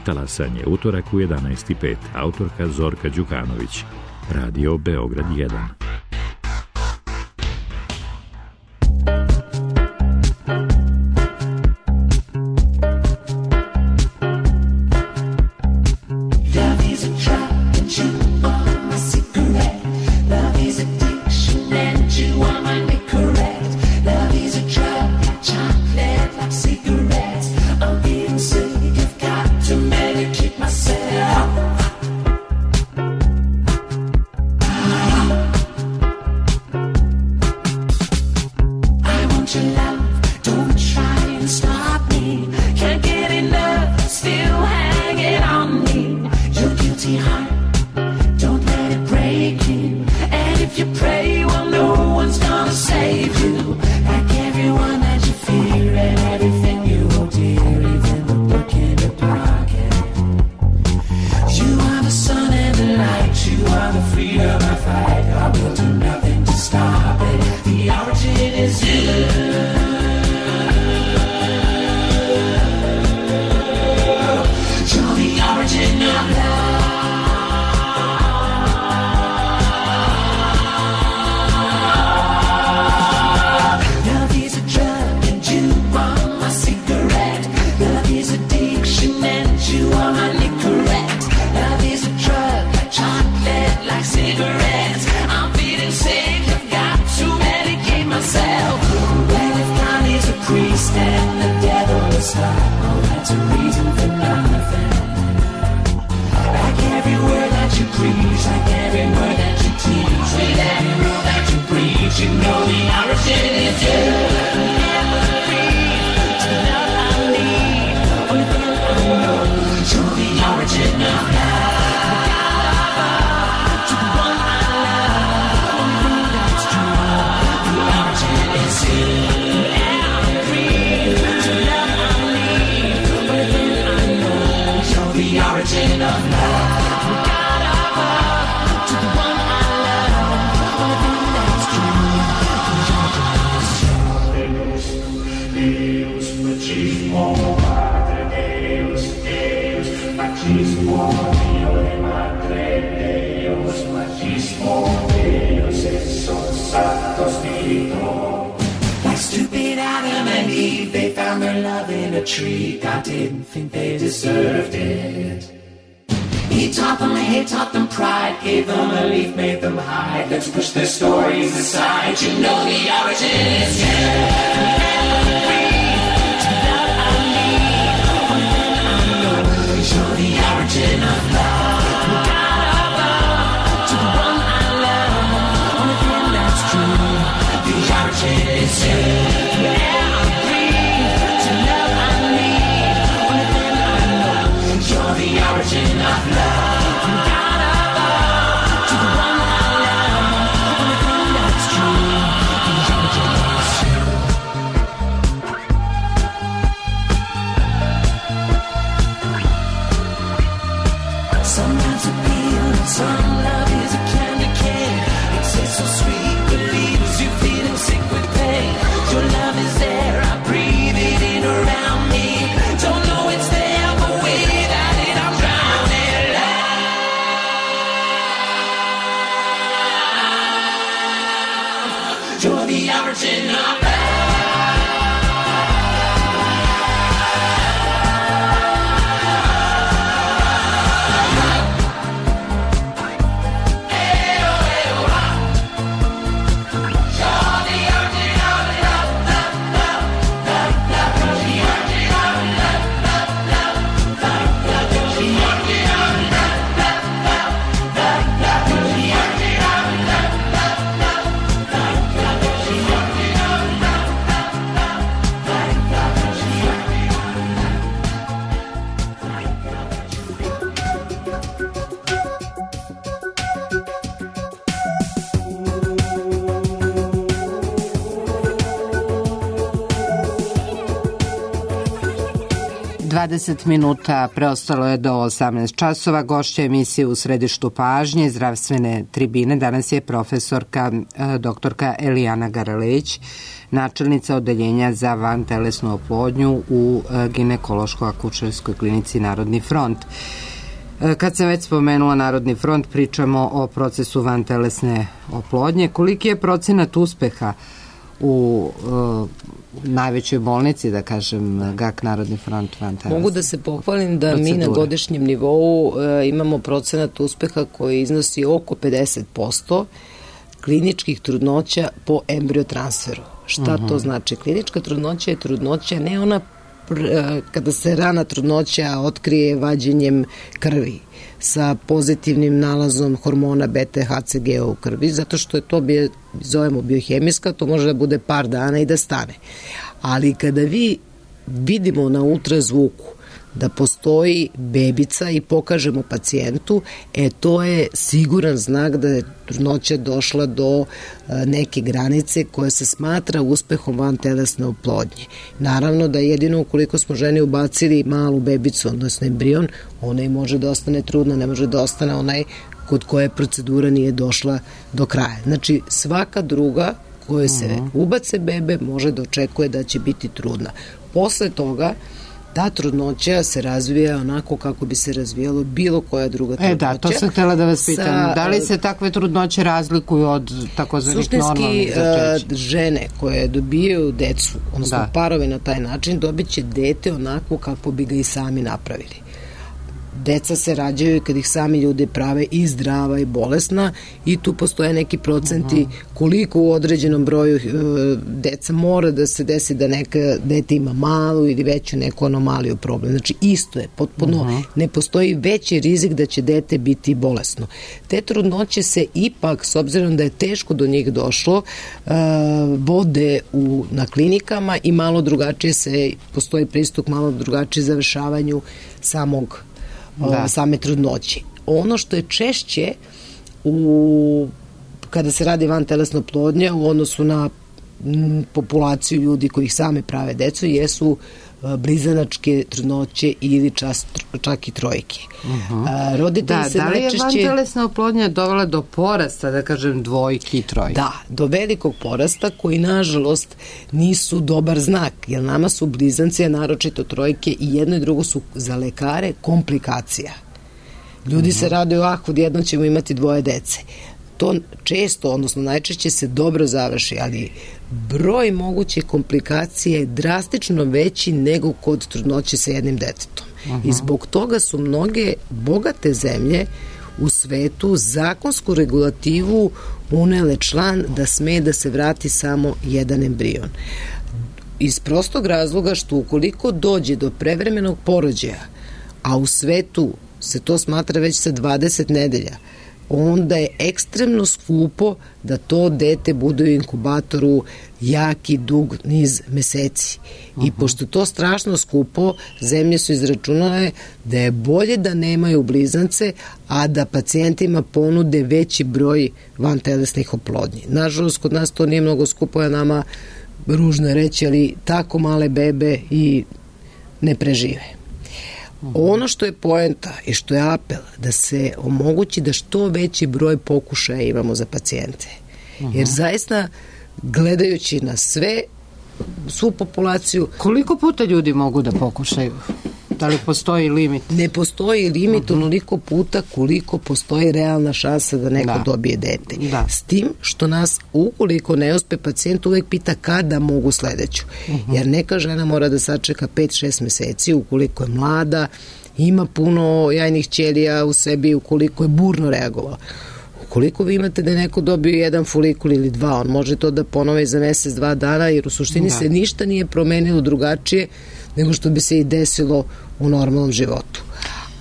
Talasanje, utorak u jedanaest i pet, autorka Zorka Đukanović. Radio Beograd jedan. Your love, don't try and stop me. Can't Machismo, Padre Deus, Deus, machismo, Dio e Madre Deus, machismo, Deus es un santo spirito. Like stupid Adam and Eve, they found their love in a tree. God didn't think they deserved it. He taught them hate, taught them pride, gave them a leaf, made them hide. Let's push their stories aside. You know the origin is here. Show the origin of love. From God above to the one I love. Only thing that's true. The origin is you. Yeah, I breathe to love I need. Only thing I know. You're the origin of love. From God above to the one I love. Only thing that's true. The origin is you. Some love's a pill and some love is a candy cane. It tastes so sweet but leaves you feeling sick with pain. Your love is there, I breathe it in around me. Don't know it's there, but without it I'm drowning. Love, you're the origin of love. dvadeset minuta preostalo je do osamnaest časova. Gošća emisije U središtu pažnje zdravstvene tribine danas je profesorka doktorka Elijana Garalejić, načelnica odeljenja za vantelesnu oplodnju u ginekološko-akušerskoj klinici Narodni front. Kad sam već spomenula Narodni front, pričamo o procesu vantelesne oplodnje. Koliki je procenat uspeha u uh, najvećoj bolnici, da kažem, G A K Narodni front vantelesne? Mogu da se pohvalim da procedure. Mi na godišnjem nivou uh, imamo procenat uspeha koji iznosi oko pedeset posto kliničkih trudnoća po embriotransferu. Šta uh-huh. to znači? Klinička trudnoća je trudnoća, ne ona pr- kada se rana trudnoća otkrije vađenjem krvi sa pozitivnim nalazom hormona beta H C G u krvi, zato što je to, bio, zovemo biohemijska, to može da bude par dana i da stane. Ali kada vi vidimo na ultrazvuku da postoji bebica i pokažemo pacijentu, e to je siguran znak da je trudnoća došla do neke granice koja se smatra uspehom vantelesne oplodnje. Naravno da jedino ukoliko smo ženi ubacili malu bebicu, odnosno embrion, ona i može da ostane trudna, ne može da ostane onaj kod koje procedura nije došla do kraja. Znači svaka druga koja se uh-huh. ubace bebe može da očekuje da će biti trudna. Posle toga ta trudnoća se razvija onako kako bi se razvijalo bilo koja druga trudnoća. E da, to sam htjela da vas pitam. Sa, da li se takve trudnoće razlikuju od takozvanih normalnih začeća? Suštinski, žene koje dobijaju decu, odnosno da. Parovi na taj način, dobit će dete onako kako bi ga i sami napravili. Deca se rađaju kad ih sami ljudi prave i zdrava i bolesna i tu postoje neki procenti koliko u određenom broju e, deca mora da se desi da neka dete ima malu ili veću neku anomaliju problem. Znači isto je, potpuno uh-huh. ne postoji veći rizik da će dete biti bolesno. Te trudnoće se ipak, s obzirom da je teško do njih došlo, e, vode u, na klinikama i malo drugačije se, postoji pristup malo drugačije završavanju samog Da. same trudnoće. Ono što je češće u, kada se radi vantelesna oplodnja u odnosu na m, populaciju ljudi koji sami prave decu jesu blizanačke trudnoće ili čas, čak i trojke. Uh-huh. A, roditelji da, se da li najčešće... je vantelesna oplodnja dovela do porasta, da kažem, dvojki i trojke? Da, do velikog porasta koji, nažalost, nisu dobar znak, jer nama su blizanci, a naročito trojke, i jedno i drugo su za lekare komplikacija. Ljudi uh-huh. se raduju, ah, odjednom ćemo imati dvoje dece. To često, odnosno najčešće se dobro završi, ali broj moguće komplikacije je drastično veći nego kod trudnoće sa jednim detetom. Uh-huh. I zbog toga su mnoge bogate zemlje u svetu zakonsku regulativu unele član da sme da se vrati samo jedan embrion. Iz prostog razloga što ukoliko dođe do prevremenog porođaja, a u svetu se to smatra već sa dvadeset nedelja, onda je ekstremno skupo da to dete bude u inkubatoru jaki, dug niz meseci. Uh-huh. I pošto to strašno skupo, zemlje su izračunale da je bolje da nemaju blizance, a da pacijentima ponude veći broj vantelesnih oplodnji. Nažalost, kod nas to nije mnogo skupo, a nama ružno reći, ali tako male bebe i ne prežive. Ono što je poenta i što je apel da se omogući da što veći broj pokušaja imamo za pacijente. Jer zaista gledajući na sve, svu populaciju... Koliko puta ljudi mogu da pokušaju? Da li postoji limit? Ne postoji limit uh-huh. onoliko puta koliko postoji realna šansa da neko da. dobije dete. Da. S tim što nas, ukoliko ne uspe, pacijent uvek pita kada mogu sledeću. Uh-huh. Jer neka žena mora da sačeka pet šest meseci ukoliko je mlada, ima puno jajnih ćelija u sebi, ukoliko je burno reagovao. Ukoliko vi imate da je neko dobio jedan folikul ili dva, on može to da ponove za mesec, dva dana, jer u suštini da. se ništa nije promenilo drugačije nego što bi se i desilo u normalnom životu.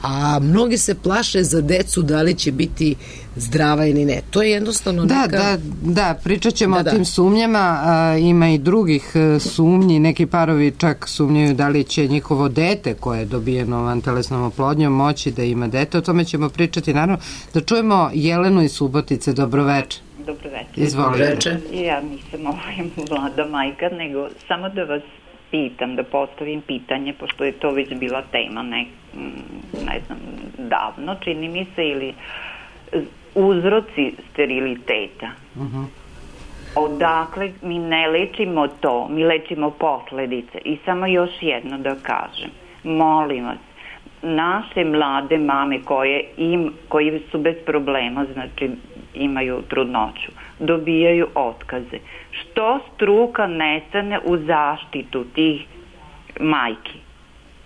A mnogi se plaše za decu da li će biti zdrava ili ne. To je jednostavno da, neka... Da, da, pričat ćemo da, o da. tim sumnjama. A, ima i drugih sumnji. Neki parovi čak sumnjaju da li će njihovo dete koje je dobijeno vantelesnom oplodnjom moći da ima dete. O tome ćemo pričati. Naravno, da čujemo Jelenu iz Subotice. Dobroveče. Dobroveče. Izvolite. Ja nisam ovaj mlada majka, nego samo da vas pitam, da postavim pitanje, pošto je to već bila tema, ne, ne znam, davno, čini mi se, ili uzroci steriliteta. Uh-huh. Odakle mi ne lečimo to, mi lečimo posledice. I samo još jedno da kažem, molim vas, naše mlade mame koje, im, koji su bez problema, znači imaju trudnoću, dobijaju otkaze. Što struka ne stane u zaštitu tih majki?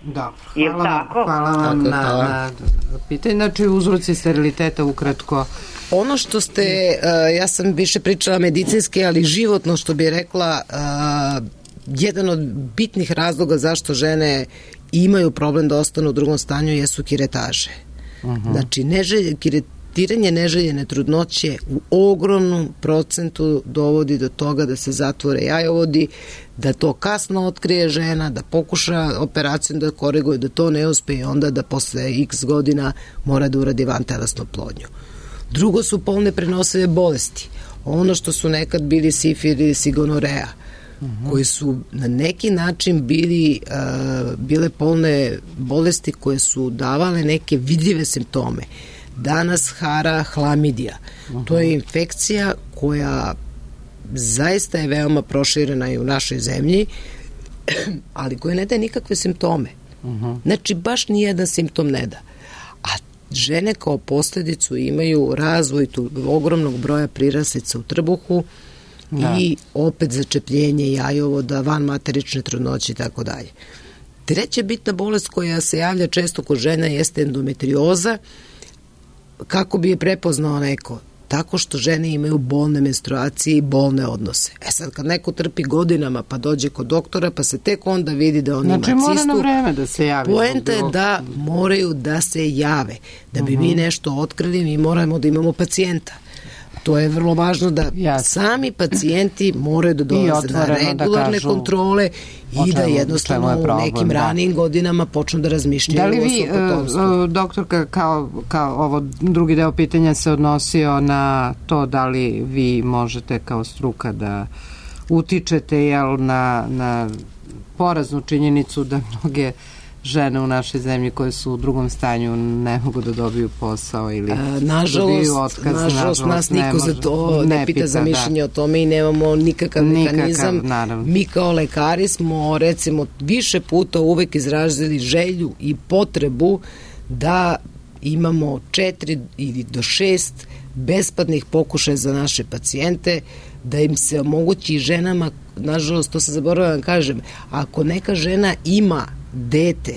Dobro, hvala, tako? hvala vam tako, na, na pitanje. Znači, uzroci steriliteta ukratko. Ono što ste, uh, ja sam više pričala medicinski, ali životno što bi rekla, uh, jedan od bitnih razloga zašto žene imaju problem da ostanu u drugom stanju jesu kiretaže. Uh-huh. Znači, neželje, kiretiranje neželjene trudnoće u ogromnom procentu dovodi do toga da se zatvore jajovodi, da to kasno otkrije žena, da pokuša operacijom da koriguje, da to ne uspe i onda da posle x godina mora da uradi vantelesnu oplodnju. Drugo su polne prenosive bolesti. Ono što su nekad bili sifilis i gonoreja, uh-huh. koji su na neki način bili, uh, bile polne bolesti koje su davale neke vidljive simptome. Danas hara hlamidija. Uh-huh. To je infekcija koja zaista je veoma proširena i u našoj zemlji, ali koja ne daje nikakve simptome. Uh-huh. Znači, baš nijedan simptom ne da. A žene kao posledicu imaju razvoj tu ogromnog broja priraslica u trbuhu, da. I opet začepljenje jajovoda, vanmaterične trudnoće i tako dalje. Treća bitna bolest koja se javlja često kod žena jeste endometrioza. Kako bi je prepoznao neko? Tako što žene imaju bolne menstruacije i bolne odnose. E sad, kad neko trpi godinama pa dođe kod doktora, pa se tek onda vidi da on znači, ima cistu. Znači, mora na vreme da se javi. Poenta je da moraju da se jave. Da bi uh-huh. mi nešto otkrili, mi moramo da imamo pacijenta. To je vrlo važno da Jasne. sami pacijenti moraju da dolaze na regularne da kontrole i da jednostavno u nekim da. ranijim godinama počnu da razmišljaju da li vi, uh, doktorka, kao, kao ovo drugi deo pitanja se odnosio na to da li vi možete kao struka da utičete jel, na, na poraznu činjenicu da mnoge žene u našoj zemlji koje su u drugom stanju ne mogu da dobiju posao ili A, nažalost, otkaz. Nažalost, nažalost, nas niko za to ne, ne pita, pita za mišljenje da. o tome i nemamo nikakav, nikakav mekanizam. Naravno. Mi kao lekari smo recimo više puta uvek izrazili želju i potrebu da imamo četiri ili do šest besplatnih pokušaja za naše pacijente, da im se omogući ženama, nažalost, to se zaboravljam da kažem, ako neka žena ima dete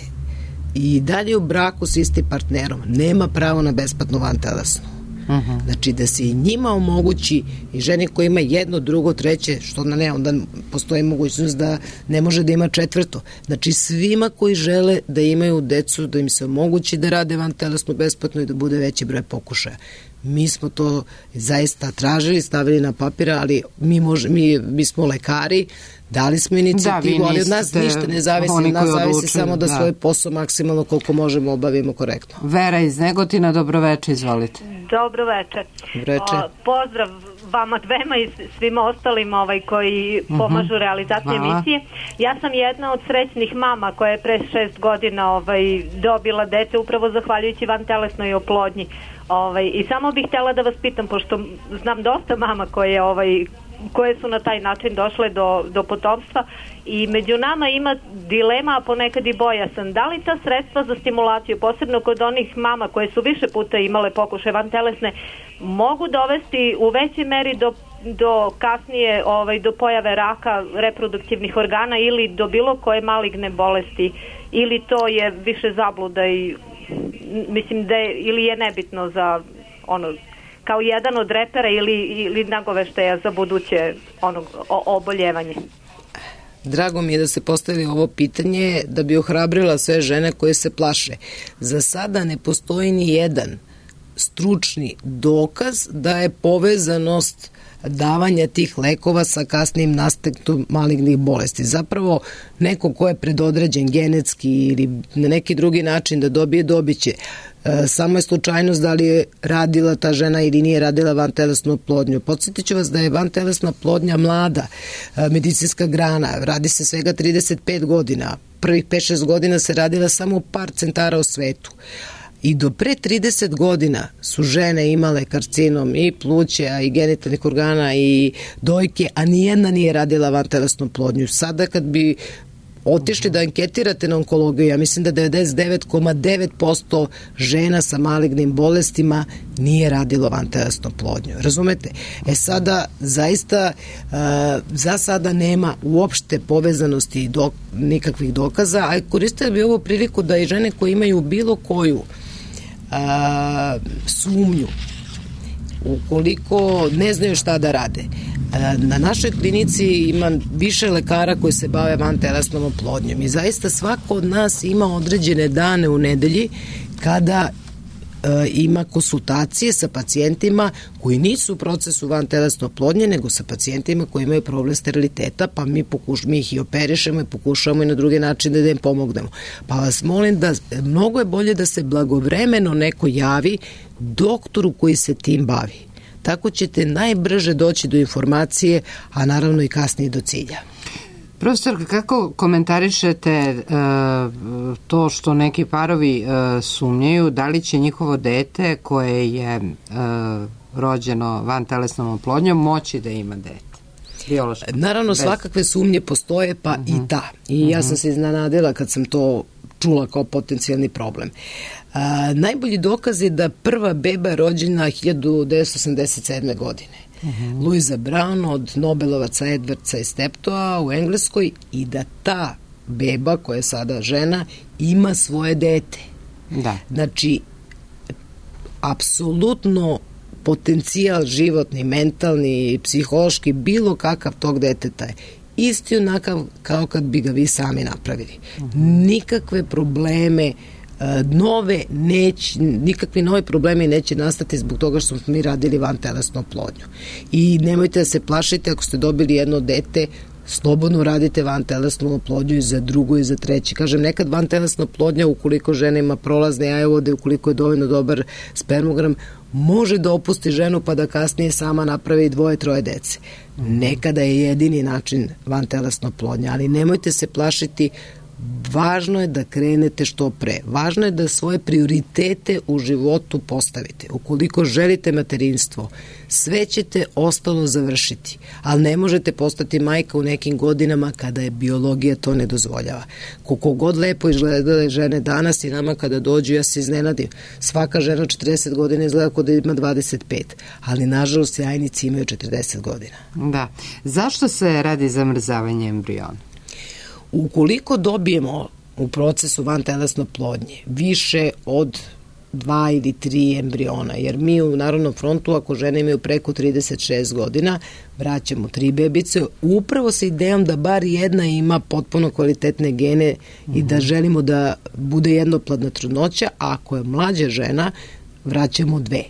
i dalje u braku s istim partnerom, nema pravo na besplatnu vantelesnu. Uh-huh. Znači da se i njima omogući i ženi koja ima jedno, drugo, treće, što na ne, onda postoji mogućnost da ne može da ima četvrto. Znači svima koji žele da imaju decu, da im se omogući da rade vantelesnu besplatno i da bude veći broj pokušaja. Mi smo to zaista tražili, stavili na papira, ali mi, može, mi, mi smo lekari, dali smo inicijativu, da, ali od nas ništa ne zavisi, od nas zavisi odlučuju, samo da, da svoj posao maksimalno koliko možemo obavimo korektno. Vera iz Negotina, dobroveče, izvolite. Dobroveče. Dobroveče. Pozdrav vama dvema i svima ostalim ovaj, koji uh-huh. pomažu realizaciji emisije. Ja sam jedna od srećnih mama koja je pre šest godina ovaj, dobila dete upravo zahvaljujući vantelesnoj oplodnji. Ovaj, I samo bih htjela da vas pitam, pošto znam dosta mama koje, ovaj, koje su na taj način došle do, do potomstva i među nama ima dilema, a ponekad i bojasan. Da li ta sredstva za stimulaciju, posebno kod onih mama koje su više puta imale pokušaje vantelesne, mogu dovesti u većoj meri do, do kasnije ovaj, do pojave raka reproduktivnih organa ili do bilo koje maligne bolesti, ili to je više zabluda i mislim da je, ili je nebitno za ono kao jedan od repera ili, ili nagoveštaja za buduće ono, o, oboljevanje. Drago mi je da se postavi ovo pitanje da bi ohrabrila sve žene koje se plaše. Za sada ne postoji ni jedan stručni dokaz da je povezanost davanja tih lekova sa kasnim nastankom malignih bolesti. Zapravo, neko ko je predodređen genetski ili na neki drugi način da dobije, dobiće. E, samo je slučajnost da li je radila ta žena ili nije radila vantelesnu oplodnju. Podsjetit ću vas da je vantelesna oplodnja mlada e, medicinska grana. Radi se svega trideset pet godina. Prvih pet šest godina se radila samo par centara u svetu. I do pre trideset godina su žene imale karcinom i pluća i genitalnih organa i dojke, a nijedna nije radila vantelesnu oplodnju. Sada kad bi otišli da anketirate na onkologiju, ja mislim da devedeset devet zarez devet posto žena sa malignim bolestima nije radilo vantelesnu oplodnju. Razumete? E sada, zaista, uh, za sada nema uopšte povezanosti i dok, nikakvih dokaza, a koristili bi ovu priliku da i žene koje imaju bilo koju a, sumnju, ukoliko ne znaju šta da rade. A, na našoj klinici ima više lekara koji se bave vantelesnom oplodnjom i zaista svako od nas ima određene dane u nedelji kada ima konsultacije sa pacijentima koji nisu u procesu vantelesne oplodnje, nego sa pacijentima koji imaju problem steriliteta, pa mi, pokuš, mi ih i operišemo i pokušamo i na drugi način da im pomognemo. Pa vas molim da mnogo je bolje da se blagovremeno neko javi doktoru koji se tim bavi. Tako ćete najbrže doći do informacije, a naravno i kasnije do cilja. Profesor, kako komentarišete uh, to što neki parovi uh, sumnjaju da li će njihovo dete koje je uh, rođeno vantelesnom oplodnjom moći da ima dete? Biološki. Naravno, bez... svakakve sumnje postoje, pa uh-huh. i ta. I uh-huh. ja sam se iznenadila kad sam to čula kao potencijalni problem. Uh, najbolji dokaz je da prva beba je rođena hiljadu devetsto osamdeset sedme. godine. Uh-huh. Louisa Brown od Nobelovaca Edwardsa i Steptoa u Engleskoj i da ta beba koja je sada žena ima svoje dete. Da. Znači, apsolutno potencijal životni, mentalni, psihološki, bilo kakav tog deteta je isti onakav kao kad bi ga vi sami napravili. Uh-huh. Nikakve probleme nove neće, nikakvi nove problemi neće nastati zbog toga što smo mi radili vantelesnu oplodnju. I nemojte da se plašite ako ste dobili jedno dete, slobodno radite vantelesnu oplodnju i za drugo i za treće. Kažem, nekad vantelesna oplodnja, ukoliko žena ima prolazne jajovode, ukoliko je dovoljno dobar spermogram, može da opusti ženu pa da kasnije sama napravi dvoje, troje dece. Nekada je jedini način vantelesna oplodnja, ali nemojte se plašiti. Važno je da krenete što pre. Važno je da svoje prioritete u životu postavite. Ukoliko želite materinstvo, sve ćete ostalo završiti, ali ne možete postati majka u nekim godinama kada je biologija to ne dozvoljava. Koliko god lepo izgledale žene danas i nama kada dođu, ja se iznenadim. Svaka žena od četrdeset godina izgleda kao da ima dvadeset pet, ali nažalost jajnici imaju četrdeset godina. Da. Zašto se radi zamrzavanje embriona? Ukoliko dobijemo u procesu vantelesne oplodnje više od dva ili tri embriona, jer mi u Narodnom frontu, ako žene imaju preko trideset šest godina, vraćamo tri bebice, upravo sa idejom da bar jedna ima potpuno kvalitetne gene i da želimo da bude jednoplodna trudnoća, a ako je mlađa žena, vraćamo dve.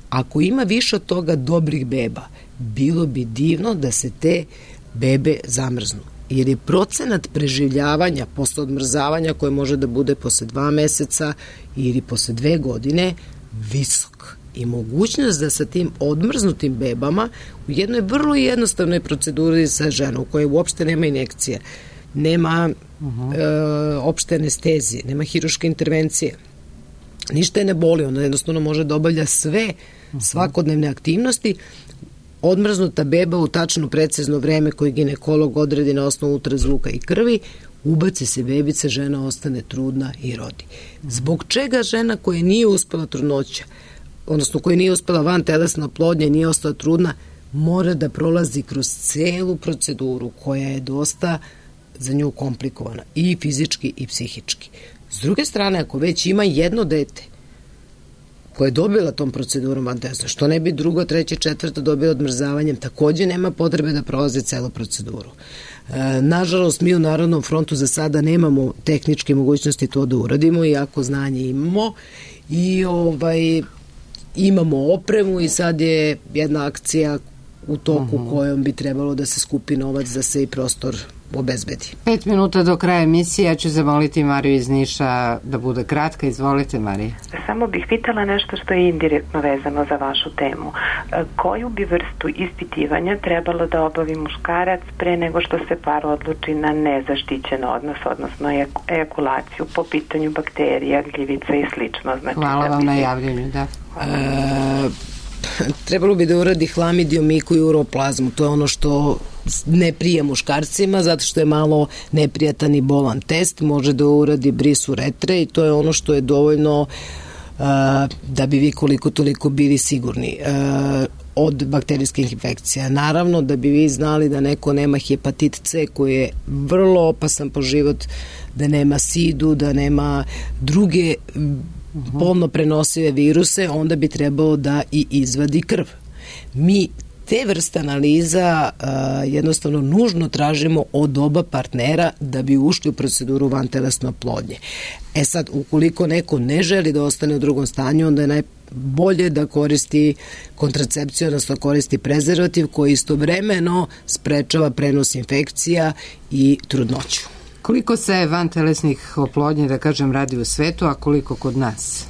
Ako ima više od toga dobrih beba, bilo bi divno da se te bebe zamrznu. Jer je procenat preživljavanja posle odmrzavanja, koje može da bude posle dva meseca ili posle dve godine, visok. I mogućnost da sa tim odmrznutim bebama u jednoj vrlo jednostavnoj proceduri sa ženom, u kojoj uopšte nema injekcije, nema uh-huh. e, opšte anestezije, nema hiruške intervencije, ništa je ne boli, ona jednostavno može da obavlja sve uh-huh. svakodnevne aktivnosti. Odmrznuta beba u tačno precizno vreme koje ginekolog odredi na osnovu ultrazvuka i krvi, ubaci se bebica, žena ostane trudna i rodi. Zbog čega žena koja nije uspela trudnoća, odnosno koja nije uspela vantelesna oplodnja i nije ostala trudna, mora da prolazi kroz celu proceduru koja je dosta za nju komplikovana i fizički i psihički. S druge strane, ako već ima jedno dete koja je dobila tom procedurom vantelesna, što ne bi drugo, treće, četvrto dobila odmrzavanjem, takođe nema potrebe da prolaze celu proceduru. E, nažalost, mi u Narodnom frontu za sada nemamo tehničke mogućnosti to da uradimo, iako znanje imamo i ovaj, imamo opremu i sad je jedna akcija u toku uh-huh. kojom bi trebalo da se skupi novac da se i prostor obezbedi. Pet minuta do kraja emisije, ja ću zamoliti Mariju iz Niša da bude kratka. Izvolite, Marija. Samo bih pitala nešto što je indirektno vezano za vašu temu. Koju bi vrstu ispitivanja trebalo da obavi muškarac pre nego što se par odluči na nezaštićen odnos, odnosno ejakulaciju po pitanju bakterija, gljivica i slično? Znači, hvala vam bi... na javljanju, da. E, trebalo bi da uradi hlamidiomiku i uroplazmu. To je ono što ne prija muškarcima, zato što je malo neprijatan i bolan test. Može da uradi bris uretre i to je ono što je dovoljno uh, da bi vi koliko toliko bili sigurni uh, od bakterijskih infekcija. Naravno, da bi vi znali da neko nema hepatit C koji je vrlo opasan po život, da nema sidu, da nema druge polno prenosive viruse, onda bi trebalo da i izvadi krv. Mi te vrste analiza uh, jednostavno nužno tražimo od oba partnera da bi ušli u proceduru vantelesne oplodnje. E sad, ukoliko neko ne želi da ostane u drugom stanju, onda je najbolje da koristi kontracepciju, odnosno koristi prezervativ koji istovremeno sprečava prenos infekcija i trudnoću. Koliko se vantelesnih oplodnje, da kažem, radi u svetu, a koliko kod nas?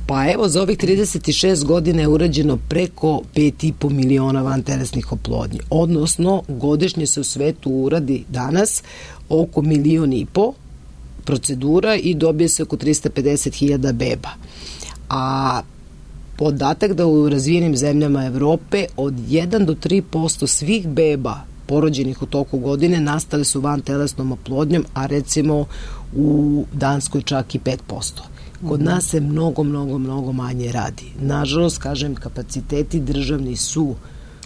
Pa evo, za ovih trideset šest godina je urađeno preko pet i po miliona vantelesnih oplodnji. Odnosno, godišnje se u svetu uradi danas oko milion i po procedura i dobije se oko trista pedeset hiljada beba. A podatak da u razvijenim zemljama Evrope od jedan do tri posto svih beba porođenih u toku godine nastale su vantelesnom oplodnjom, a recimo u Danskoj čak i pet posto. Kod nas se mnogo, mnogo, mnogo manje radi. Nažalost, kažem, kapaciteti državni su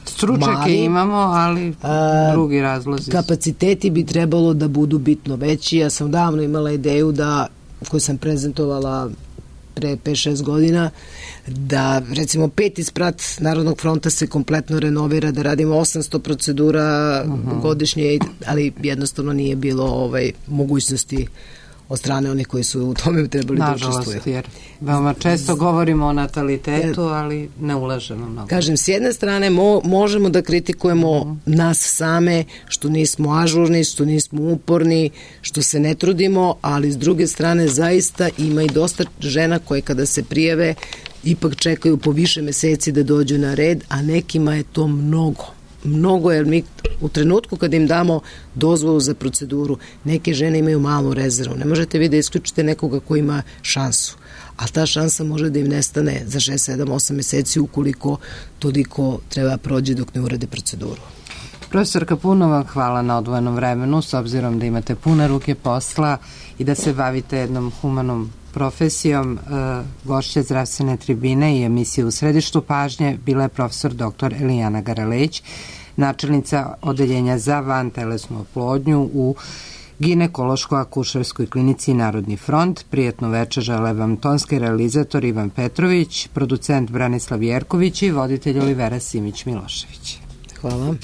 stručnjake mali, imamo, ali a, drugi razlozi. Kapaciteti bi trebalo da budu bitno veći. Ja sam davno imala ideju da, koju sam prezentovala pre pet šest godina, da recimo peti sprat Narodnog fronta se kompletno renovira, da radimo osamsto procedura uh-huh. godišnje, ali jednostavno nije bilo ovaj, mogućnosti od strane onih koji su u tome trebali da učestvuju. Nažalost, jer veoma često govorimo o natalitetu, ali ne ulažemo mnogo. Kažem, s jedne strane mo, možemo da kritikujemo mm. nas same, što nismo ažurni, što nismo uporni, što se ne trudimo, ali s druge strane zaista ima i dosta žena koje kada se prijave ipak čekaju po više meseci da dođu na red, a nekima je to mnogo. Mnogo, jer mi u trenutku kada im damo dozvolu za proceduru, neke žene imaju malu rezervu. Ne možete vi da isključite nekoga ko ima šansu, a ta šansa može da im nestane za šest, sedam, osam meseci ukoliko toliko treba prođe dok ne urade proceduru. Profesorka, puno vam hvala na odvojenom vremenu, s obzirom da imate pune ruke posla i da se bavite jednom humanom profesijom. Gošća zdravstvene tribine i emisije U središtu pažnje bila je profesor doktor Elijana Garaleć, načelnica odeljenja za vantelesnu oplodnju u ginekološko-akušerskoj klinici Narodni front. Prijetno večer žele vam tonski realizator Ivan Petrović, producent Branislav Jerković i voditelj Olivera Simić-Milošević. Hvala.